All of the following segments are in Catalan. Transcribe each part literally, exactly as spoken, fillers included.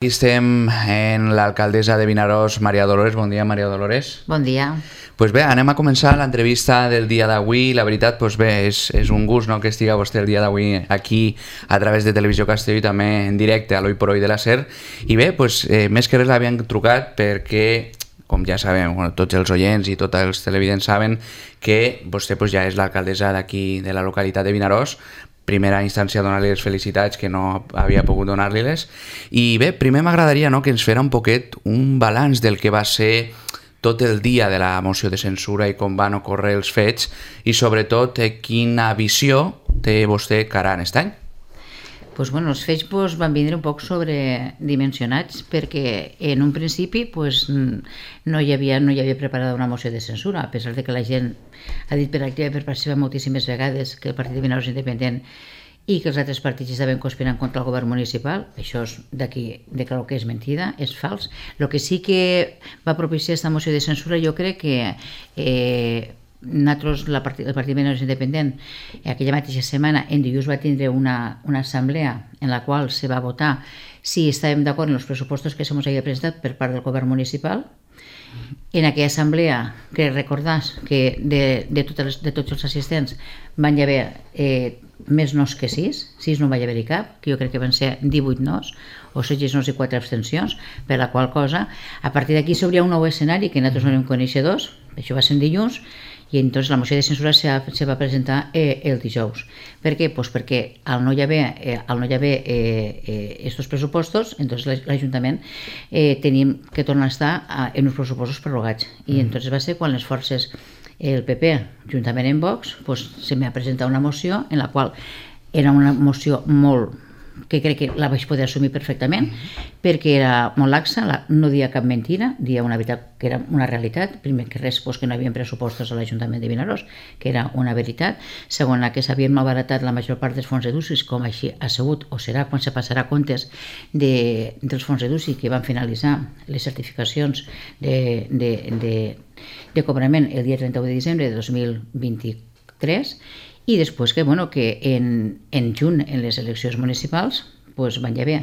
Aquí estem en l'alcaldessa de Vinaròs, Maria Dolores. Bon dia, Maria Dolores. Bon dia. Pues bé, anem a començar l'entrevista del dia d'avui. La veritat, pues bé, és, és un gust, no?, que estiga vostè el dia d'avui aquí a través de Televisió Castelló i també en directe a l'Hoy por Hoy de la SER. I bé, pues, eh, més que res l'havien trucat perquè, com ja sabem, bueno, tots els oients i tots els televidents saben que vostè pues, ja és l'alcaldessa d'aquí, de la localitat de Vinaròs. Primera instància donar-li les felicitats, que no havia pogut donar-li-les. I bé, primer m'agradaria, no?, que ens fera un poquet un balanç del que va ser tot el dia de la moció de censura i com van ocórrer els fets i sobretot eh, quina visió té vostè cara a aquest any. Pues bueno, els fets pues, van vindre un poc sobredimensionats perquè en un principi pues, no, hi havia, no hi havia preparada una moció de censura, a pesar de que la gent ha dit per activa i per passiva moltíssimes vegades que el Partit de Vinaròs és independent i que els altres partits estaven conspirant contra el govern municipal. Això és d'aquí de clar que és mentida, és fals. El que sí que va propiciar aquesta moció de censura, jo crec que eh, nosaltres, la part, el Partit de Vinaròs Independent, aquella mateixa setmana, en dilluns va tindre una, una assemblea en la qual se va votar si estàvem d'acord en els pressupostos que se ens havia presentat per part del govern municipal. En aquella assemblea, que recordàs que de, de, totes, de tots els assistents van hi haver eh, més nos que sis, sis no va hi haver-hi cap, que jo crec que van ser divuit nos, o setze nos i quatre abstencions, per la qual cosa, a partir d'aquí s'obria un nou escenari que nosaltres no érem coneixedors, això va ser en dilluns, i entonces la moció de censura se, se va presentar eh, el dijous. Per què? Pues perquè al no hi haver, eh, al no hi haver eh, eh, estos pressupostos, entonces l'Ajuntament eh, tenim que tornar a estar a, en uns pressupostos prorrogats. I mm. entonces va ser quan les forces, el P P, juntament amb Vox, pues, se m'ha presentat una moció en la qual era una moció molt que crec que la vaig poder assumir perfectament, mm-hmm. perquè era molt laxa, la, no dia cap mentira, dia una veritat que era una realitat, primer que res pues, que no hi havia pressupostos a l'Ajuntament de Vinaròs, que era una veritat, segon que s'havien malbaratat la major part dels fons d'E D U C I, com així ha sigut o serà quan se passarà comptes de, dels fons d'E D U C I que van finalitzar les certificacions de, de, de, de cobrament el dia trenta-u de desembre de dos mil vint-i-tres, i després que, bueno, que en, en juny, en les eleccions municipals, pues, van hi haver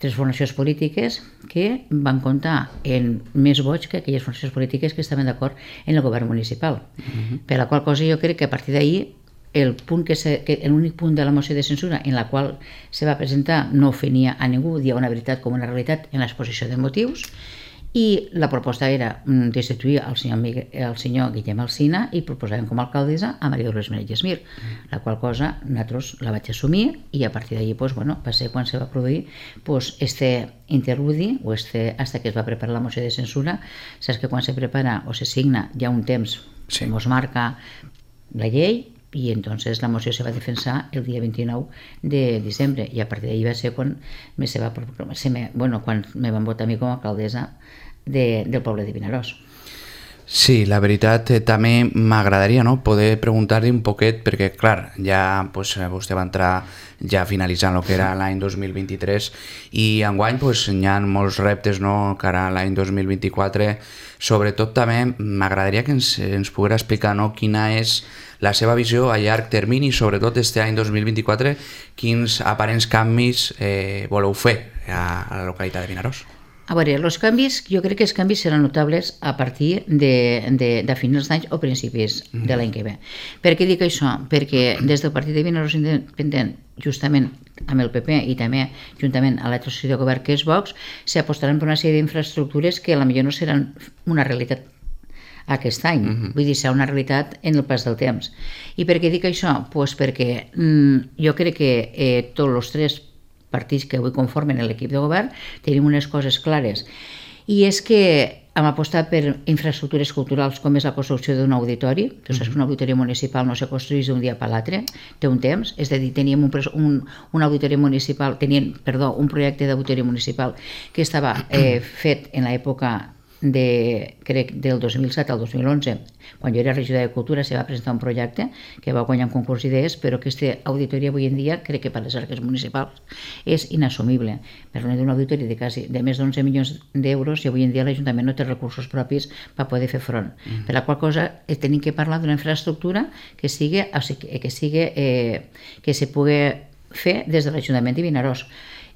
tres formacions polítiques que van comptar en més vots que aquelles formacions polítiques que estaven d'acord en el govern municipal. Uh-huh. Per la qual cosa jo crec que a partir d'ahir el punt que se, que l'únic punt de la moció de censura en la qual se va presentar no ofenia a ningú, dia una veritat com una realitat en l'exposició de motius, i la proposta era destituir el senyor, Miguel, el senyor Guillem Alsina i proposàvem com a alcaldessa a Maria Dolores Menéndez Mir, la qual cosa nosaltres la vaig assumir i a partir d'allí pues, bueno, va ser quan se va produir pues, este interludi o este, hasta que es va preparar la moció de censura. Saps que quan se prepara o se signa hi ha un temps sí. que ens marca la llei i entonces la moció se va defensar el dia vint-i-nou de desembre i a partir d'ahir va ser quan me se va, se me, bueno, quan me van votar a mi com a alcaldessa de, del poble de Vinaròs. Sí, la veritat eh, també m'agradaria, no?, poder preguntar-li un poquet, perquè clar, ja pues, vostè va entrar ja finalitzant el que era l'any dos mil vint-i-tres i enguany pues, hi ha molts reptes, no?, cara a l'any dos mil vint-i-quatre. Sobretot també m'agradaria que ens, ens poguera explicar, no?, quina és la seva visió a llarg termini, sobretot este any dos mil vint-i-quatre, quins aparents canvis eh, voleu fer a, a la localitat de Vinaròs. A veure, els canvis, jo crec que els canvis seran notables a partir de, de, de finals d'any o principis mm. de l'any que ve. Per què dic això? Perquè des del Partit de Vinaròs Independent, justament amb el P P i també juntament a l'altre soci de govern que és Vox, s'apostaran per una sèrie d'infraestructures que potser no seran una realitat aquest any, mm-hmm. vull dir, serà una realitat en el pas del temps. I per què dic això? Pues perquè mm, jo crec que eh, tots els tres partits que avui conformen l'equip de govern tenim unes coses clares i és que hem apostat per infraestructures culturals com és la construcció d'un auditori. Tu saps que un auditori municipal no se construeix d'un dia per l'altre, té un temps, és a dir, teníem un, un, un auditori municipal, tenien, perdó, un projecte d'auditori municipal que estava eh, fet en l'època de, crec, del dos mil set al dos mil onze, quan jo era regidora de Cultura, se va presentar un projecte que va guanyar un concurs d'idees, però aquesta auditoria avui en dia, crec que per les arques municipals, és inassumible. Parlem d'un auditori de, quasi, de més d'onze milions d'euros i avui en dia l'Ajuntament no té recursos propis per poder fer front. Mm. Per la qual cosa tenim que parlar d'una infraestructura que sigui, o sigui, que, sigui eh, que se pugui fer des de l'Ajuntament de Vinaròs.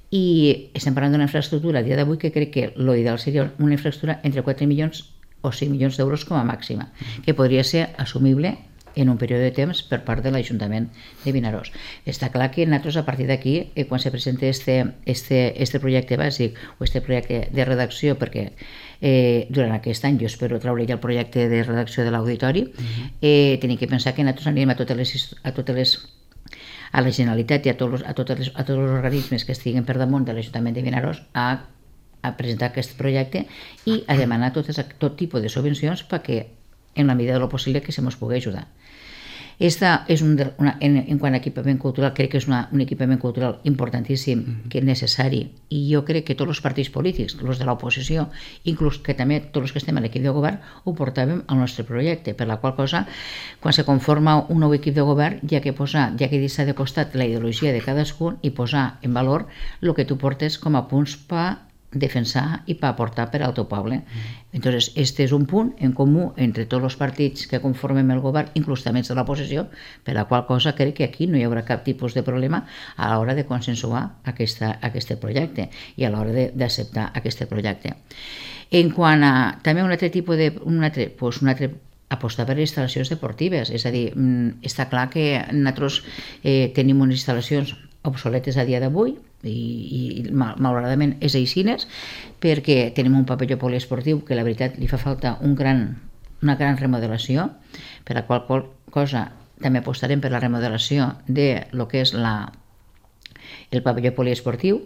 i estem parlant d'una infraestructura a dia d'avui que crec que l'ideal seria una infraestructura entre quatre milions o cinc milions d'euros com a màxima, que podria ser assumible en un període de temps per part de l'Ajuntament de Vinaròs. Està clar que nosaltres a partir d'aquí, eh, quan se presenta este, este, este projecte bàsic o este projecte de redacció, perquè eh, durant aquest any jo espero treure ja el projecte de redacció de l'auditori, uh-huh. eh, tenim que pensar que nosaltres anirem a totes les, a totes les a la Generalitat i a tots, a, totes les, a tots els organismes que estiguen per damunt de l'Ajuntament de Vinaròs a, a presentar aquest projecte i a demanar totes, tot tipus de subvencions perquè en la medida de lo possible que se mos pugui ajudar. Esta és un de, una, en, en quant a equipament cultural, crec que és una, un equipament cultural importantíssim, mm-hmm. que és necessari, i jo crec que tots els partits polítics, els de l'oposició, inclús que també tots els que estem a l'equip de govern, ho portàvem al nostre projecte, per la qual cosa, quan se conforma un nou equip de govern, ja que posar, ja que deixar de costat la ideologia de cadascun i posar en valor el que tu portes com a punts per defensar i per aportar per al teu poble. Mm. Entonces, este és un punt en comú entre tots els partits que conformem el govern, inclús també de l'oposició, per la qual cosa crec que aquí no hi haurà cap tipus de problema a l'hora de consensuar aquesta, aquest projecte i a l'hora d'acceptar aquest projecte. En quant a també un altre tipus de... Un altre, pues un altre apostar per instal·lacions deportives, és a dir, està clar que nosaltres eh, tenim unes instal·lacions obsoletes a dia d'avui i, i malauradament és aixines perquè tenim un pavelló poliesportiu que la veritat li fa falta un gran, una gran remodelació, per la qual cosa també apostarem per la remodelació de lo que és la, el pavelló poliesportiu,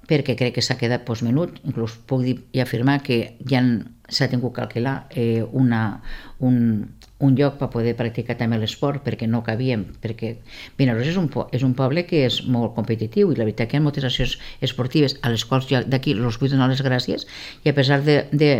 perquè crec que s'ha quedat pues, menut, inclús puc dir i afirmar que ja s'ha tingut que alquilar eh, una, un, un lloc per poder practicar també l'esport, perquè no cabíem, perquè Vinaròs és un, és un poble que és molt competitiu i la veritat que hi ha moltes accions esportives a les quals jo d'aquí els vull donar les gràcies i a pesar de, de,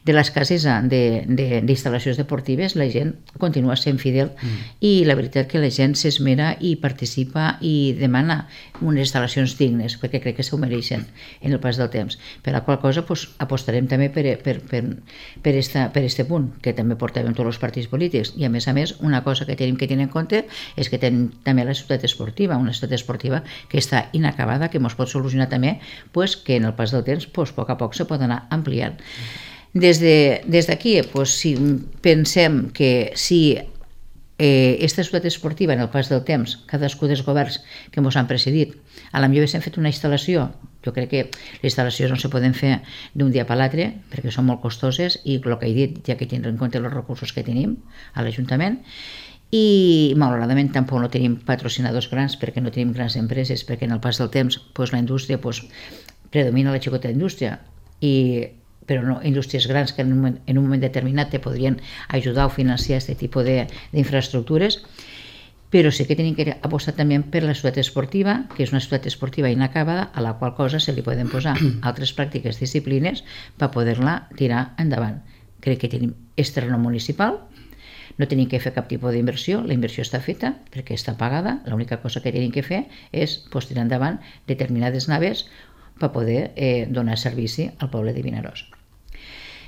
de l'escassesa d'instal·lacions de, de, deportives la gent continua sent fidel mm. i la veritat que la gent s'esmera i participa i demana unes instal·lacions dignes perquè crec que s'ho mereixen en el pas del temps, per la qual cosa pues, apostarem també per, per, per, per, esta, per este punt que també portàvem tots els partits polítics i a més a més una cosa que tenim que tenir en compte és que tenim també la ciutat esportiva, una ciutat esportiva que està inacabada, que ens pot solucionar també pues, que en el pas del temps pues, a poc a poc se pot anar ampliant. Des d'aquí de, pues, si pensem que si eh, esta ciutat esportiva en el pas del temps, cadascú dels governs que ens han precedit, a la millor haguéssim fet una instal·lació. Jo crec que les instal·lacions no se poden fer d'un dia per l'altre perquè són molt costoses i el que he dit, ja que tindrem en compte els recursos que tenim a l'Ajuntament, i malauradament tampoc no tenim patrocinadors grans perquè no tenim grans empreses, perquè en el pas del temps pues, la indústria pues, predomina la xicota indústria, i, però no indústries grans que en un moment, en un moment determinat te podrien ajudar o financiar aquest tipus d'infraestructures. Però sí que tenim que apostar també per la ciutat esportiva, que és una ciutat esportiva inacabada, a la qual cosa se li poden posar altres pràctiques disciplines per poder-la tirar endavant. Crec que tenim este terreny municipal, no tenim que fer cap tipus d'inversió, la inversió està feta perquè està pagada, l'única cosa que tenim que fer és pues, tirar endavant determinades naves per poder eh, donar servici al poble de Vinaròs.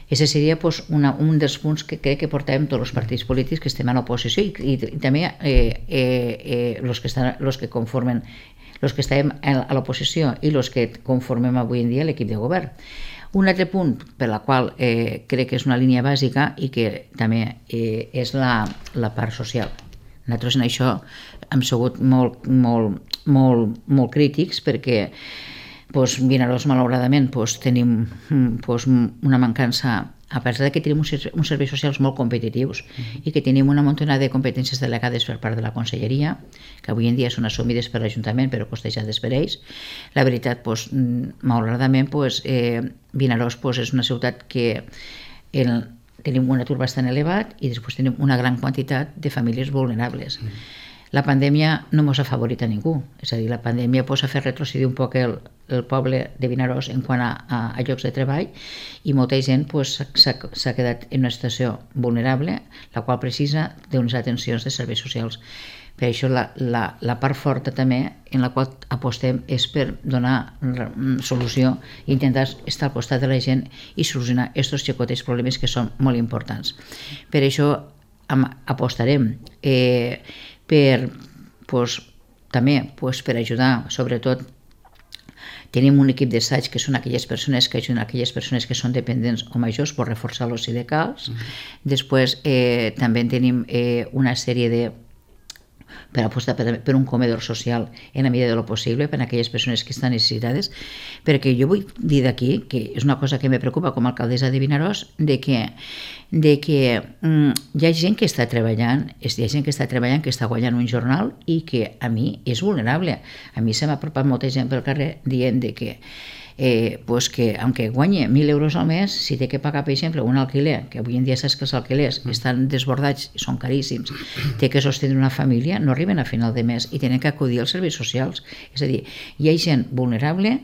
Aquest seria pues, una, un dels punts que crec que portàvem tots els partits polítics que estem a l'oposició i, i, i també eh, eh, los que estan, los que conformen els que estàvem a l'oposició i els que conformem avui en dia l'equip de govern. Un altre punt per la qual eh, crec que és una línia bàsica i que també eh, és la, la part social. Nosaltres en això hem sigut molt, molt, molt, molt crítics perquè pues, Vinaròs, malauradament, pues, tenim pues, una mancança, a pesar que tenim uns, uns serveis socials molt competitius mm-hmm. i que tenim una muntona de competències delegades per part de la Conselleria, que avui en dia són assumides per l'Ajuntament però costejades per ells. La veritat, pues, malauradament, pues, eh, Vinaròs pues, és una ciutat que el, tenim un atur bastant elevat i després tenim una gran quantitat de famílies vulnerables. Mm-hmm. La pandèmia no ens ha favorit a ningú, és a dir, la pandèmia pues, ha fet retrocedir un poc el, el poble de Vinaròs en quant a, a, a llocs de treball i molta gent pues, s'ha quedat en una situació vulnerable, la qual precisa d'unes atencions de serveis socials. Per això la, la, la part forta també en la qual apostem és per donar solució i intentar estar al costat de la gent i solucionar aquests xicotes problemes que són molt importants. Per això apostarem eh, per, pues, també pues, per ajudar, sobretot Tenim un equip d'assaig que són aquelles persones que ajuden aquelles persones que són dependents o majors per reforçar l'oci de calç. Mm-hmm. Després eh, també tenim eh, una sèrie de per apostar per, per un comedor social en la medida de lo possible per a aquelles persones que estan necessitades, perquè jo vull dir d'aquí, que és una cosa que me preocupa com a alcaldessa de Vinaròs, de que, de que mm, hi ha gent que està treballant, hi ha gent que està treballant, que està guanyant un jornal i que a mi és vulnerable. A mi se m'ha apropat molta gent pel carrer dient de que Eh, pues que aunque guanye mil euros al mes, si té que pagar, per exemple, un alquiler, que avui en dia saps que els alquilers estan desbordats i són caríssims, té que sostindre una família, no arriben a final de mes i tenen que acudir als serveis socials. És a dir, hi ha gent vulnerable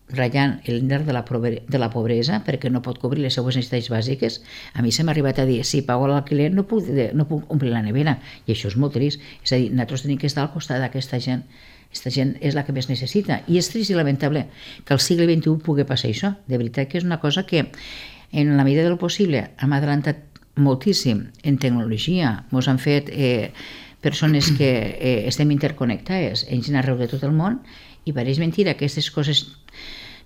ratllant l'índex de, la de la pobresa perquè no pot cobrir les seues necessitats bàsiques. A mi se m'ha arribat a dir, si pago l'alquiler no puc, no puc omplir la nevera, i això és molt trist. És a dir, nosaltres tenim que estar al costat d'aquesta gent. Aquesta gent és la que més necessita. I és trist i lamentable que al segle vint-i-u pugui passar això. De veritat que és una cosa que, en la medida del possible, hem adelantat moltíssim en tecnologia. Ens han fet eh, persones que eh, estem interconnectades en gent arreu de tot el món, i pareix mentira aquestes coses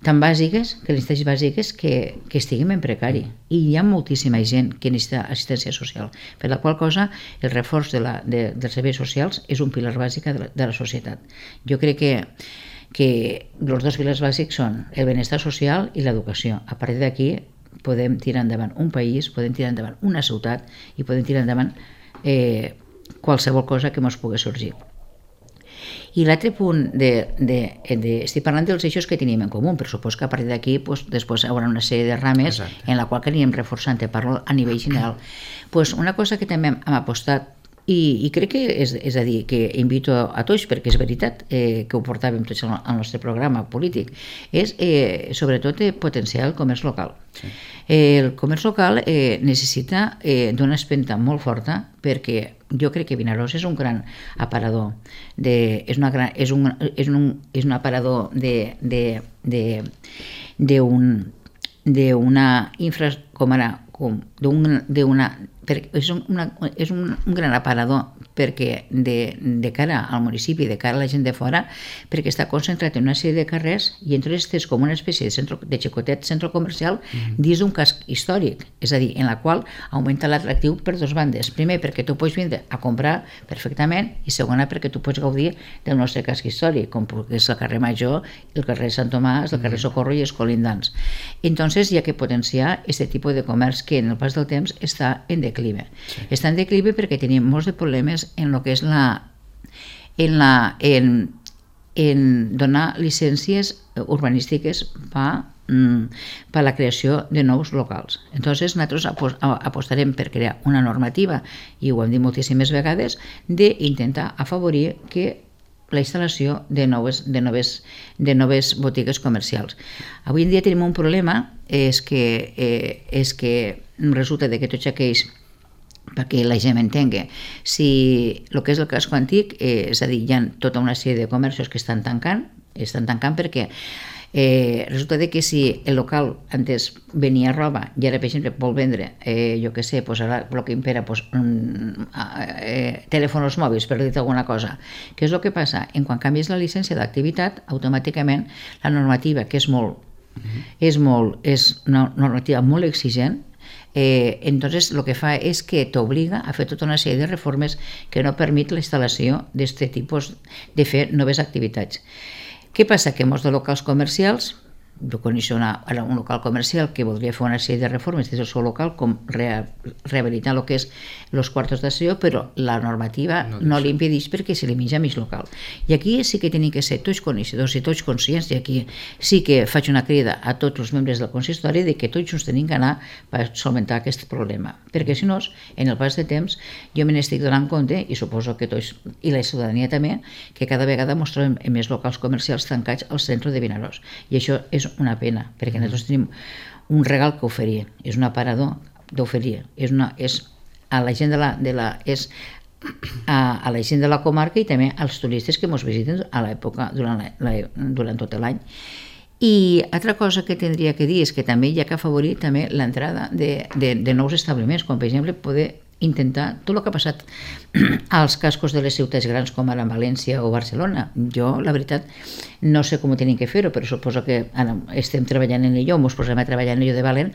tan bàsiques, que les necessitats bàsiques, que, que estiguem en precari. I hi ha moltíssima gent que necessita assistència social, per la qual cosa el reforç de la, de, dels serveis socials és un pilar bàsic de la, de la societat. Jo crec que, que els dos pilars bàsics són el benestar social i l'educació. A partir d'aquí podem tirar endavant un país, podem tirar endavant una ciutat i podem tirar endavant eh, qualsevol cosa que ens pugui sorgir. I l'altre punt, de, de, de, estic parlant dels eixos que tenim en comú, per supos que a partir d'aquí pues, després hi haurà una sèrie de rames. Exacte. En la qual que anirem reforçant, te parlo a nivell general. Pues una cosa que també hem apostat, i, i crec que és, és a dir, que invito a, a tots, perquè és veritat eh, que ho portàvem tots al, al nostre programa polític, és eh, sobretot eh, potenciar el comerç local. Sí. Eh, el comerç local eh, necessita eh, d'una espenta molt forta, perquè jo crec que Vinaròs és un gran aparador de, és, una gran, és, un, és, un, és un aparador de, de, de, de un, d'una infra, com ara, com, d'una, d'una és, una, és un, un gran aparador perquè de, de cara al municipi, de cara a la gent de fora, perquè està concentrat en una sèrie de carrers i entonces és com una espècie de, centro, de xicotet centre comercial mm-hmm. dins d'un casc històric, és a dir, en la qual augmenta l'atractiu per dues bandes. Primer, perquè tu pots vindre a comprar perfectament, i segona, perquè tu pots gaudir del nostre casc històric, com és el carrer Major, el carrer Sant Tomàs, el carrer Socorro i els colindants. Entonces hi ha que potenciar aquest tipus de comerç que en el pas del temps està en declive. Sí. Està en declive perquè tenim molts de problemes en el que és la en, la, en, en donar llicències urbanístiques per per la creació de nous locals. Entonces nosaltres apostarem per crear una normativa, i ho hem dit moltíssimes vegades, d'intentar afavorir que la instal·lació de noves, de, noves, de noves botigues comercials. Avui en dia tenim un problema, és que, eh, és que resulta que tots aquells, perquè la gent m'entengui, si el que és el casco antic, eh, és a dir, hi ha tota una sèrie de comerços que estan tancant, estan tancant perquè eh, resulta que si el local antes venia roba i ara, per exemple, vol vendre, eh, jo què sé, pues ara el que impera, pues, mm, eh, telèfons mòbils, per dir alguna cosa. Què és el que passa? En quan canvies la llicència d'activitat, automàticament la normativa, que és molt, uh-huh. és molt, és una normativa molt exigent, Eh, entonces lo que fa és que t'obliga a fer tota una sèrie de reformes que no permet la instal·lació d'aquest tipus de fer noves activitats. Què passa? Que molts de locals comercials, jo coneixo una, un local comercial que voldria fer una sèrie de reformes des del seu local, com re, rehabilitar el que és els quartos d'assaig, però la normativa no, no li impedeix perquè se li menja mig local. I aquí sí que tenim que ser tots coneixedors i tots conscients, i aquí sí que faig una crida a tots els membres del consistori de que tots ens tenim que anar per solventar aquest problema, perquè si no, en el pas de temps jo me n'estic donant compte, i suposo que tots, i la ciutadania també, que cada vegada ens trobem més locals comercials tancats al centre de Vinaròs, i això és una pena, perquè nosaltres tenim un regal que oferir, és un aparador d'oferir, és, una, és a la gent de la, de la, és a, a la gent de la comarca i també als turistes que ens visiten a l'època durant, la, la, durant tot l'any. I altra cosa que tindria que dir és que també hi ha que afavorir també l'entrada de, de, de nous establiments, com per exemple poder intentar tot el que ha passat als cascos de les ciutats grans com ara València o Barcelona. Jo, la veritat, no sé com ho tenim que fer-ho, però suposo que ara estem treballant en allò, ens posem a treballar en allò de valent,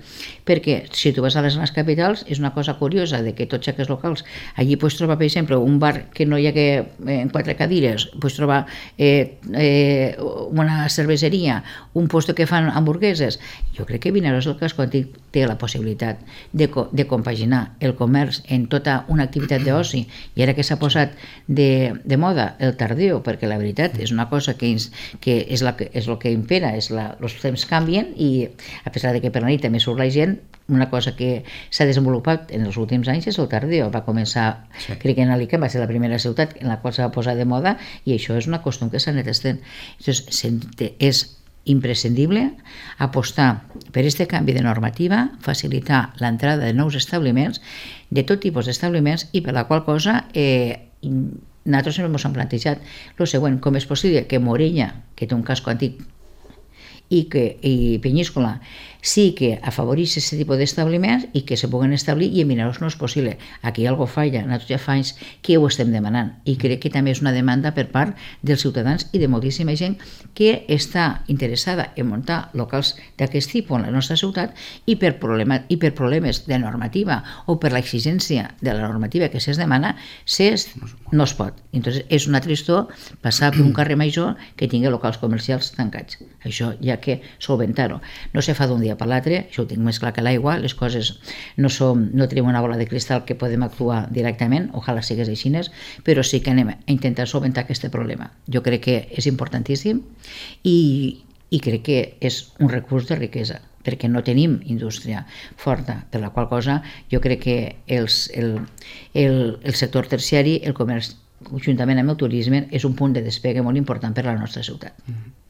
perquè si tu vas a les grans capitals és una cosa curiosa de que tots aquests locals, allí pots trobar, per exemple, un bar que no hi ha que en quatre cadires, pots trobar eh, eh, una cerveseria, un puesto que fan hamburgueses. Jo crec que Vinaròs, el casco antic, té la possibilitat de, de compaginar el comerç en tota una activitat d'oci, i ara que s'ha posat de, de moda el tardeo, perquè la veritat és una cosa que, ens, que és, la, és el que impera, és la, els temps canvien, i a pesar de que per la nit també surt la gent, una cosa que s'ha desenvolupat en els últims anys és el tardeo. Va començar, sí. crec que en Alicant va ser la primera ciutat en la qual s'ha posat de moda, i això és una costum que s'ha anat estent. És imprescindible apostar per aquest canvi de normativa, facilitar l'entrada de nous establiments, de tot tipus d'establiments, i per la qual cosa eh, nosaltres sempre ens hem plantejat el següent: com és possible que Morella, que té un casco antic, i que i Penyíscola sí que afavoreix aquest tipus d'establiments i que se puguen establir, i en Vinaròs no és possible. Aquí algo falla, nosaltres ja fa anys que ho estem demanant, i crec que també és una demanda per part dels ciutadans i de moltíssima gent que està interessada en muntar locals d'aquest tipus en la nostra ciutat, i per, problema, i per problemes de normativa o per l'exigència de la normativa que se'ls demana, s'és, no es pot. Entonces és una tristor passar per un carrer major que tingui locals comercials tancats. Això ja que solventar-ho. No se fa d'un dia per l'altre, això ho tinc més clar que l'aigua, les coses no som, no tenim una bola de cristal que podem actuar directament, ojalà sigués així, però sí que anem a intentar solventar aquest problema. Jo crec que és importantíssim, i, i crec que és un recurs de riquesa, perquè no tenim indústria forta, per la qual cosa jo crec que els, el, el, el sector terciari, el comerç, juntament amb el turisme, és un punt de despegue molt important per a la nostra ciutat. Mm-hmm.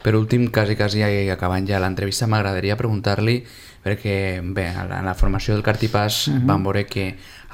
Per últim, quasi, quasi acabant ja l'entrevista, m'agradaria preguntar-li, perquè bé, en la formació del Cartipàs uh-huh. vam veure que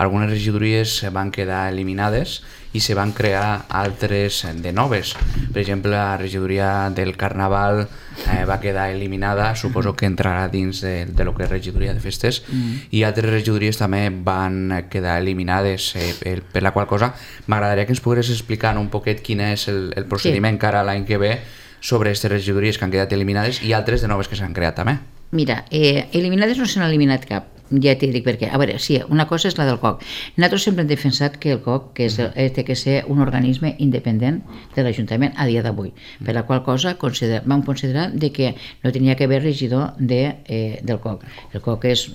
algunes regidories van quedar eliminades i se van crear altres de noves. Per exemple, la regidoria del Carnaval eh, va quedar eliminada, suposo que entrarà dins de, de lo que és regidoria de festes, uh-huh. i altres regidories també van quedar eliminades, eh, per, per la qual cosa m'agradaria que ens pogués explicar un poquet quin és el, el procediment sí. cara l'any que ve sobre aquestes regidories que han quedat eliminades i altres de noves que s'han creat també. Mira, eh, eliminades no se n'ha eliminat cap, ja t'hi dic perquè. A veure, sí, una cosa és la del C O C. Nosaltres sempre hem defensat que el C O C que és, uh-huh. té que ser un organisme independent de l'Ajuntament a dia d'avui, uh-huh. per la qual cosa consider, vam considerar de que no tenia que haver regidor de, eh, del C O C. El C O C és,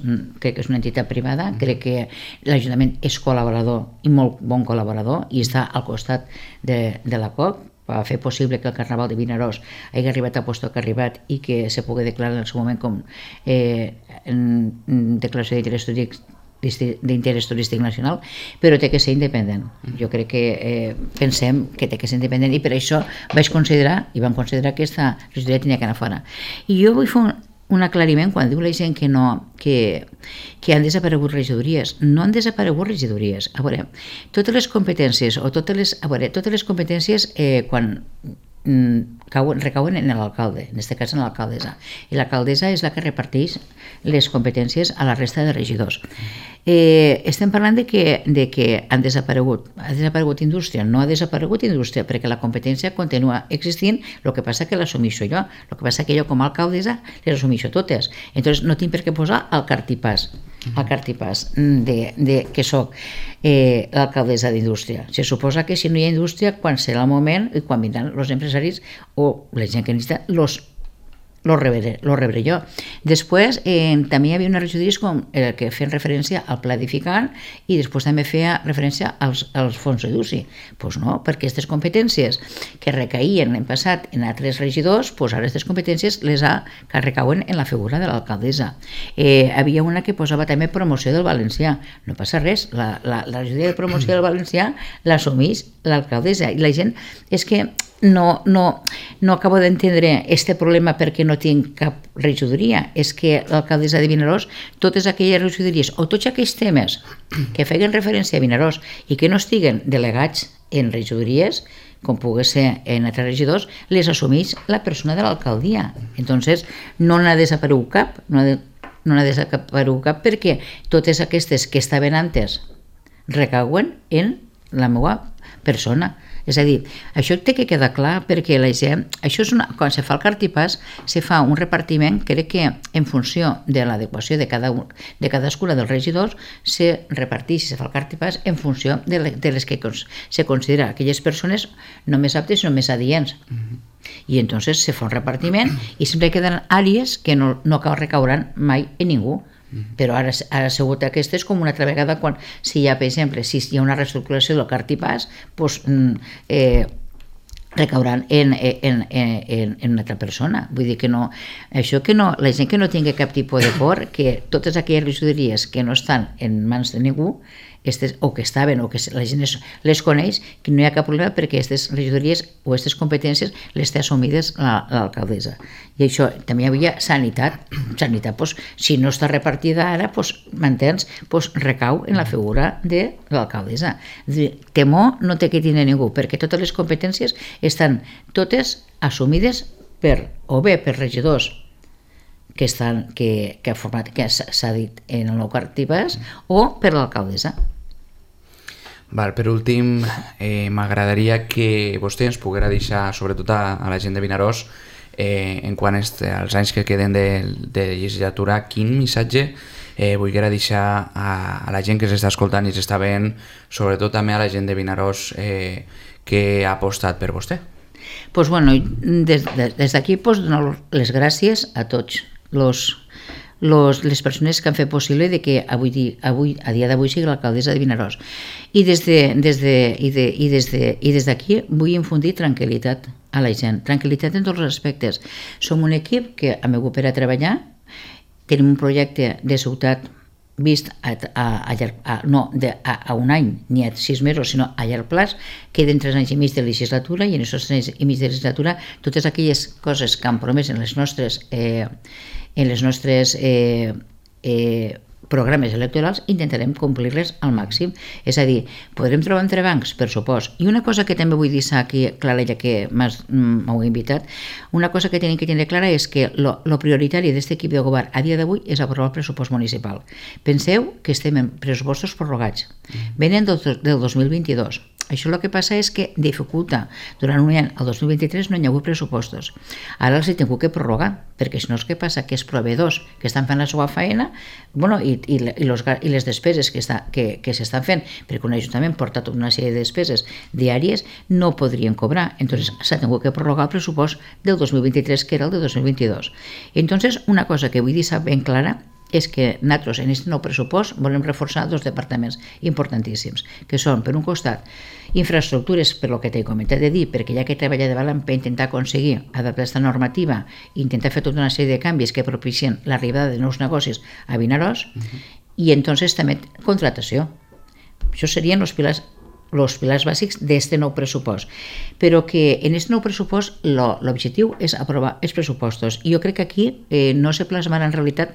crec que és una entitat privada, uh-huh. crec que l'Ajuntament és col·laborador i molt bon col·laborador i està al costat de, de la C O C, va fer possible que el Carnaval de Vinaròs hagi arribat a lloc que ha arribat i que se pugui declarar en el seu moment com eh, en, en declaració d'interès turístic, d'interès turístic nacional, però té que ser independent. Jo crec que eh, pensem que té que ser independent, i per això vaig considerar, i vam considerar que aquesta regidoria tenia que anar fora. I jo vull fer un, un aclariment quan diu la gent que no, que, que han desaparegut regidories. No han desaparegut regidories. A veure, totes les competències, o totes les, a veure, totes les competències eh, quan cauen, recauen en l'alcalde, en aquest cas en l'alcaldessa, i l'alcaldessa és la que reparteix les competències a la resta de regidors. Eh, estem parlant de que, de que han desaparegut, ha desaparegut indústria, no ha desaparegut indústria, perquè la competència continua existint, el que passa que l'assumeixo jo, el que passa que jo com a alcaldessa les assumeixo totes, entonces no tinc per què posar el Cartipàs, el Cartipàs de, de, que soc eh, l'alcaldessa d'indústria. Se suposa que si no hi ha indústria, quan serà el moment i quan vindran els empresaris o la gent que necessita, los lo rebré, lo rebré jo. Després eh, també hi havia unes regidories com el que feien referència al pla edificant, i després també feia referència als, als fons d'Educi. Doncs pues no, perquè aquestes competències que recaïen l'any passat en altres regidors, pues ara aquestes competències les ha, que recauen en la figura de l'alcaldessa. Eh, havia una que posava també promoció del valencià. No passa res, la, la, la regidoria de promoció del valencià l'assumeix l'alcaldessa, i la gent és que no, no, no acabo d'entendre este problema perquè no tinc cap regidoria. És que l'alcaldessa de Vinaròs, totes aquelles regidories o tots aquells temes que feien referència a Vinaròs i que no estiguen delegats en regidories, com pugui ser en altres regidors, les assumeix la persona de l'alcaldia. Entonces no n'ha desaparegut cap, no ha, de, no n'ha desaparegut cap perquè totes aquestes que estaven antes recauen en la meva persona. És a dir, això té que quedar clar perquè la gent, això és una, quan se fa el cartipàs se fa un repartiment, crec que en funció de l'adequació de, cada, de cadascuna dels regidors se reparteix, se fa el cartipàs en funció de, le, de les que se considera aquelles persones no més aptes sinó més adients. Mm-hmm. I entonces se fa un repartiment i sempre queden àrees que no, no recauran mai en ningú. Però ara, ara ha sigut aquesta és com una altra vegada quan si hi ha, per exemple, si hi ha una reestructuració del cartipàs, doncs eh, recauran en, en, en, en una altra persona. Vull dir que no, això que no, la gent que no tingui cap tipus de por, que totes aquelles regidories que no estan en mans de ningú, estes, o que estaven o que la gent les, les coneix, que no hi ha cap problema perquè aquestes regidories o aquestes competències les té assumides l'alcaldessa. I això també hi havia sanitat. Sanitat, doncs, si no està repartida ara, doncs, m'entens, doncs, recau en la figura de l'alcaldessa. Temor no té que tenir ningú, perquè totes les competències estan totes assumides per, o bé per regidors que, estan, que, que, ha format, que s'ha dit en el nou cartipàs, o per l'alcaldessa. Val, per últim, eh, m'agradaria que vostè ens poguera deixar, sobretot a, a la gent de Vinaròs, eh, en quant als anys que queden de, de legislatura, quin missatge eh, volguera deixar a, a la gent que s'està escoltant i s'està veient, sobretot també a la gent de Vinaròs eh, que ha apostat per vostè. Pues bueno, des, des d'aquí pues, dono les gràcies a tots los Los, les persones que han fet possible de que avui, avui, a dia d'avui sigui l'alcaldessa de Vinaròs. I des de, des de, i de, i des de, i des d'aquí vull infundir tranquil·litat a la gent, tranquil·litat en tots els aspectes. Som un equip que hem hagut per a treballar, tenim un projecte de ciutat vist a, a, a, a, no, de, a, a un any, ni a sis mesos, sinó a llarg plaç, queden tres anys i mig de legislatura i en aquests tres anys i mig de legislatura totes aquelles coses que han promès en les nostres eh, en les nostres eh, eh, programes electorals intentarem complir-les al màxim. És a dir, podrem trobar entrebancs, per supost. I una cosa que també vull dir aquí, clara, ja que m'heu invitat, una cosa que tenim que tenir clara és que lo, lo prioritari d'aquest equip de govern a dia d'avui és aprovar el pressupost municipal. Penseu que estem en pressupostos prorrogats. Venen del, del dos mil vint-i-dos. Això el que passa és que dificulta. Durant un any, el dos mil vint-i-tres, no hi ha hagut pressupostos. Ara els he tingut que prorrogar, perquè si no és que passa que els proveïdors que estan fent la seva feina, bueno, i, i, i, los, i les despeses que, està, que, que s'estan fent, perquè un ajuntament porta tota una sèrie de despeses diàries, no podrien cobrar. Entonces s'ha tingut que prorrogar el pressupost del dos mil vint-i-tres, que era el de dos mil vint-i-dos. Entonces, una cosa que vull dir ben clara és que nosaltres en aquest nou pressupost volem reforçar dos departaments importantíssims, que són, per un costat, infraestructures, per lo que t'he comentat de dir, perquè ja que treballa de valent per intentar aconseguir adaptar aquesta normativa i intentar fer tota una sèrie de canvis que propicien l'arribada de nous negocis a Vinaròs, uh-huh. I entonces també contratació. Això serien els pilars els pilars bàsics d'aquest nou pressupost. Però que en aquest nou pressupost l'objectiu és aprovar els pressupostos. I jo crec que aquí eh, no se plasmarà en realitat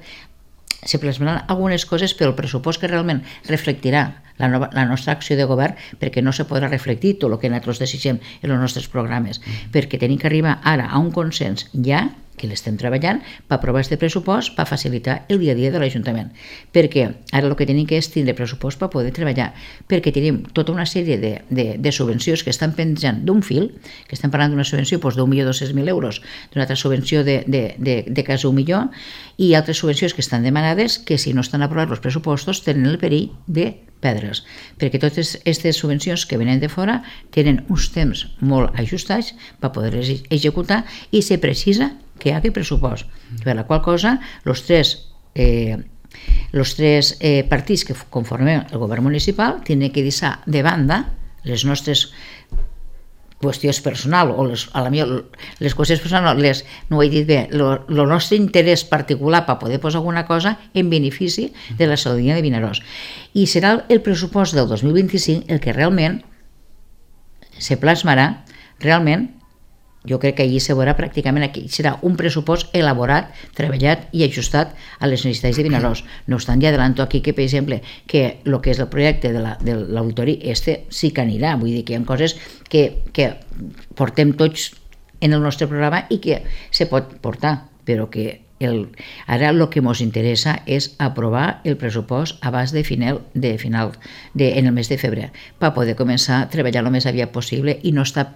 se plasmaran algunes coses, però el pressupost que realment reflectirà la, nova, la nostra acció de govern, perquè no se podrà reflectir tot el que nosaltres desitgem en els nostres programes, perquè tenim que arribar ara a un consens ja, que l'estem treballant, per aprovar aquest pressupost, per facilitar el dia a dia de l'Ajuntament. Perquè ara el que tenim que és tindre pressupost per poder treballar, perquè tenim tota una sèrie de, de, de subvencions que estan penjant d'un fil, que estem parlant d'una subvenció doncs, d'un milió dos-cents mil euros, d'una altra subvenció de, de, de, de quasi un milió, i altres subvencions que estan demanades que si no estan aprovats els pressupostos tenen el perill de perdre's, perquè totes aquestes subvencions que venen de fora tenen uns temps molt ajustats per poder-les executar i se precisa que hi hagi pressupost, per la qual cosa els tres, eh, els tres eh, partits que conformem el govern municipal tenen que deixar de banda les nostres qüestions personals o les, a la millor, les qüestions personals, les, no ho he dit bé, el nostre interès particular per poder posar alguna cosa en benefici de la ciutadania de Vinaròs. I serà el pressupost del dos mil vint-i-cinc el que realment se plasmarà, realment, jo crec que allí se veurà pràcticament, aquí serà un pressupost elaborat, treballat i ajustat a les necessitats de Vinaròs. No obstant, ja adelanto aquí que, per exemple, que el que és el projecte de l'auditori, este sí que anirà, vull dir que hi ha coses que, que portem tots en el nostre programa i que se pot portar, però que el, ara el que ens interessa és aprovar el pressupost abans de final, de final de, en el mes de febrer, per poder començar a treballar el més aviat possible i no estar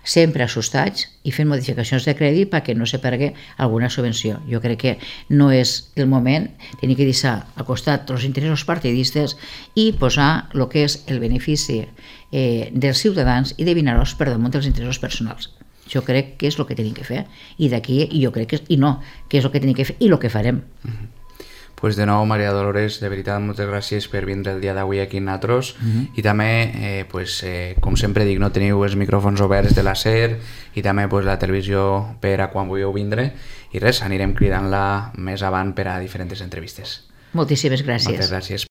sempre assustats i fent modificacions de crèdit perquè no se perdui alguna subvenció. Jo crec que no és el moment de tenir que deixar al costat els interessos partidistes i posar el que és el benefici eh, dels ciutadans i de dinar-los per damunt dels interessos personals. Jo crec que és el que tenim que fer i d'aquí, i jo crec que és, i no, que és el que tenim que fer i el que farem. Uh-huh. Pues de nou, Maria Dolores, de veritat, moltes gràcies per vindre el dia d'avui aquí en nosaltres. Uh-huh. I també, eh, pues, eh, com sempre dic, no teniu els micròfons oberts de la SER i també pues, la televisió per a quan vulgueu vindre i res, anirem cridant-la més avant per a diferents entrevistes. Moltíssimes gràcies. Moltes gràcies.